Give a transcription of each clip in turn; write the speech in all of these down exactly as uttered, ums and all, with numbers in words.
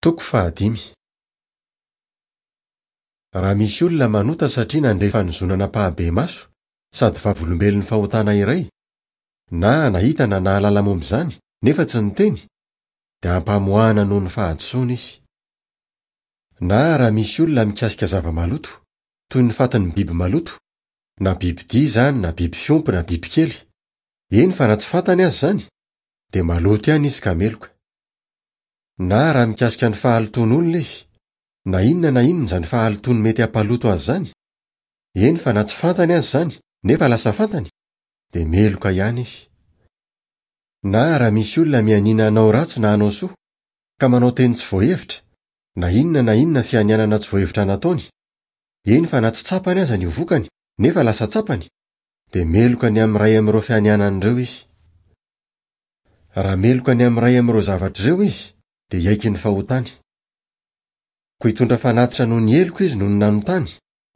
Toko fahadimy. Raha misy olona manota satria nandre fanozonana ampahibemaso sady vavolombelon'ny fahotana iray, na nahita na nahalala momba izany nefa tsy niteny, dia ampamoahana noho ny fahadisoana izy. Na raha misy olona mikasika zava-maloto, toy ny fatin'ny biby maloto, na bibidia izany na biby fiompy na bibikely, eny fa na tsy fantany aza izany, dia maloto ihany izy ka meloka. Na raha mikasika ny fahalotoan'olona izy, na inona na inona izany fahalotoany mety hampaloto azy izany, eny fa na tsy fantany aza izany nefa lasa fantany, dia meloka ihany izy. Na raha misy olona mianiana hanao ratsy na hanao soa, ka manao teny tsy voahevitra, na inona na inona fianianana tsy voahevitra nataony, eny fa na tsy tsapany aza ny ho vokany nefa lasa tsapany, dia meloka ny amin'ny iray amin'ireo fianianana ireo izy. Raha meloka ny amin'ny iray amin'ireo zavatra ireo izy, dia hiaiky ny fahotany. Koa hitondra fanatitra noho ny heloka izy noho ny nanotany,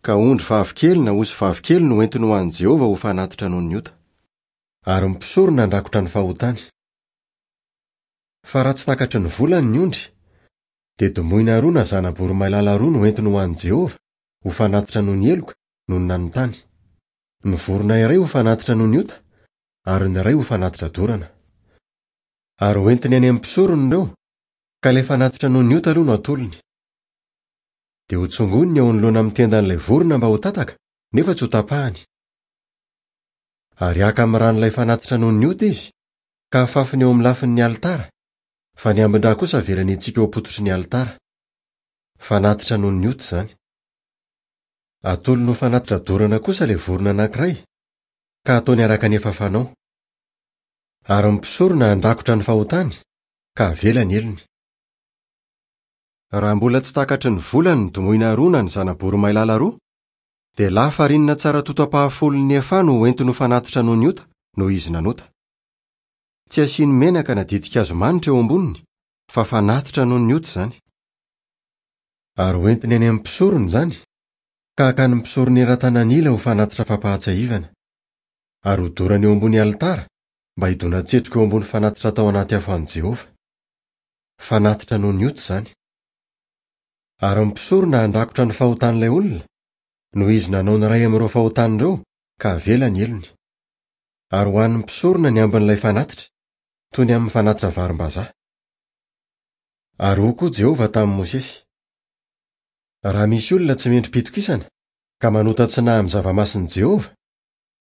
ka ondry vavikely na osy vavikely no entiny ho an'i Jehovah ho fanatitra noho ny ota. Ary ny mpisorona handrakotra ny fahotany. Fa raha tsy takatry ny volany ny ondry, dia domoina roa na zana-boromailala roa no entiny ho an'i Jehovah ho fanatitra noho ny heloka noho ny nanotany. Ny vorona iray ho fanatitra noho ny ota, ary ny iray ho fanatitra dorana. Ary ho entiny any amin'ny mpisorona ireo, ka ilay fanatitra noho ny ota aloha no atolony. Dia ho tsongoniny eo anoloana amin'ny tendan'ilay vorona mba ho tataka, nefa tsy ho tapahany. Ary haka amin'ny ran'ilay fanatitra noho ny ota izy, ka hafafiny eo amin'ny lafin'ny alitara, fa ny ambin-drà kosa avelany hitsika eo am-pototry ny alitara. Fanatitra noho ny ota izany. Atolony ho fanatitra dorana kosa ilay vorona anankiray, ka ataony araka ny efa fanao. Ary ny mpisorona handrakotra ny fahotany, ka avela ny helony. Raha mbola tsy takatry ny volany ny domoina roa na ny zana-boromailala roa, dia lafarinina tsara toto ampahafolon'ny efa no hoentiny ho fanatitra noho ny ota noho izy nanota. Tsy asiany menaka na ditin-kazo manitra eo amboniny, fa fanatitra noho ny ota izany. Ary hoentiny any amin'ny mpisorona izany, ka hakan'ny mpisorona eran-tanan'ila ho fanatitra fampahatsiahivana. Ary hodorany eo ambony alitara mba hidona-tsetroka eo ambony fanatitra tao anaty afo an'i Jehovah. Fanatitra noho ny ota izany. Ary ny mpisorona handrakotra ny fahotan'ilay olona, noho izy nanao ny iray amin'ireo fahotany ireo, ka avela ny helony. Ary ho an'ny mpisorona ny ambin'ilay fanatitra, toy ny amin'ny fanatitra varim-bazaha. Ary hoy koa Jehovah tamin'i Mosesy: Raha misy olona tsy mendri-pitokisana, ka manota tsy nahy amin'ny zava-masin'i Jehovah,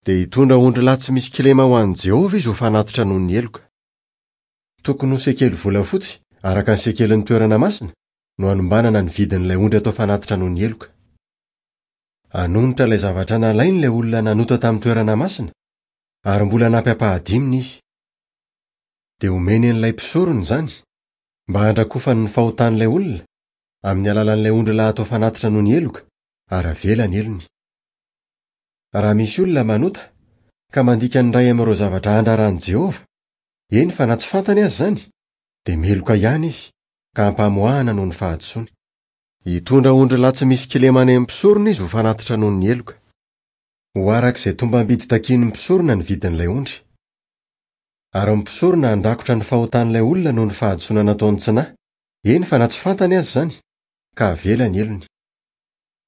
dia hitondra ondrilahy tsy misy kilema ho an'i Jehovah izy ho fanatitra noho ny heloka. Tokony ho sekely volafotsy, araka ny sekelin'ny toerana masina, no hanombanana ny vidin'ilay ondry atao fanatitra noho ny heloka. Hanonitra ilay zavatra nalainy ilay olona nanota tamin'ny toerana masina, ary mbola hanampy ampahadiminy izy. Dia homeny an'ilay mpisorona izany, mba handrakofany ny fahotan'ilay olona, amin'ny alalan'ilay ondrilahy atao fanatitra noho ny heloka, ary avela ny helony. Raha misy olona manota, ka mandika ny iray amin'ireo zavatra andraran'i Jehovah, eny fa na tsy fantany aza izany, dia meloka ihany izy, ka ampamoahana noho ny fahadisoany. Hitondra ondrilahy tsy misy kilema any amin'ny mpisorona izy ho fanatitra noho ny heloka. Ho araka izay tombam-bidy takian'ny mpisorona ny vidin'ilay ondry. Ary ny mpisorona handrakotra ny fahotan'ilay olona noho ny fahadisoana nataony tsy nahy, eny fa na tsy fantany aza izany, ka avela ny helony.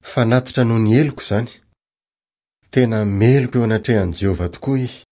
Fanatitra noho ny heloka izany. Tena meloka eo anatrehan'i Jehovah tokoa izy.